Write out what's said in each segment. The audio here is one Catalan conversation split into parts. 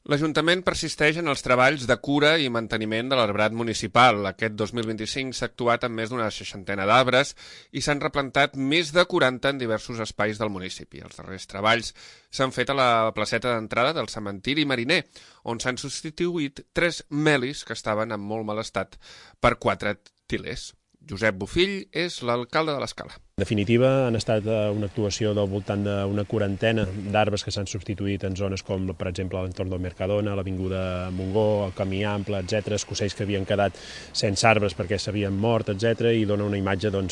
L'Ajuntament persisteix en els treballs de cura i manteniment de l'arbrat municipal. Aquest 2025 s'ha actuat amb més d'una 60 d'arbres i s'han replantat més de 40 en diversos espais del municipi. Els darrers treballs s'han fet a la placeta d'entrada del cementiri Mariner, on s'han substituït 3 melis que estaven en molt mal estat per 4 tilers. Josep Bofill és l'alcalde de l'Escala. En definitiva, han estat una actuació del voltant d'una 40 d'arbres que s'han substituït en zones com, per exemple, a l'entorn del Mercadona, l'Avinguda Montgó, el Camí Ample, etc., escocells que havien quedat sense arbres perquè s'havien mort, etc., i dona una imatge de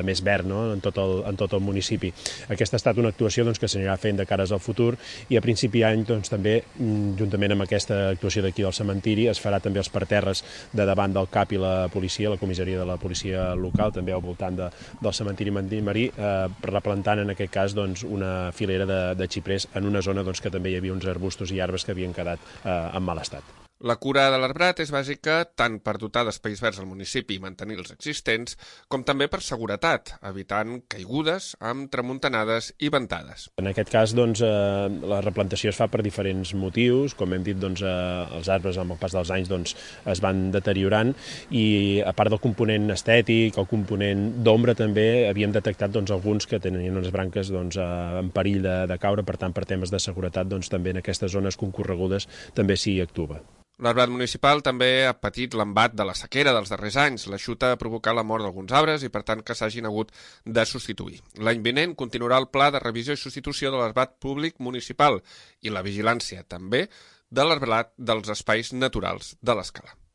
més verd, no?, en tot el municipi. Aquesta ha estat una actuació que s'anirà fent de cares al futur i a principi d'any també, juntament amb aquesta actuació d'aquí del cementiri, es farà també els parterres de davant del CAP i la policia, la comissaria de la policia local, també al voltant del cementiri Marí, replantant en aquest cas una filera de xiprers en una zona que també hi havia uns arbustos i arbres que havien quedat en mal estat. La cura de l'arbrat és bàsica tant per dotar d'espais verds al municipi i mantenir els existents, com també per seguretat, evitant caigudes amb tramuntanades i ventades. En aquest cas, la replantació es fa per diferents motius. Com hem dit, els arbres amb el pas dels anys es van deteriorant i, a part del component estètic, el component d'ombra també, havíem detectat alguns que tenien unes branques en perill de caure, per tant, per temes de seguretat, també en aquestes zones concorregudes també s'hi actua. L'arbrat municipal també ha patit l'embat de la sequera dels darrers anys. L'aixuta ha provocat la mort d'alguns arbres i, per tant, que s'hagin hagut de substituir. L'any vinent continuarà el pla de revisió i substitució de l'arbrat públic municipal i la vigilància, també, de l'arbrat dels espais naturals de l'Escala.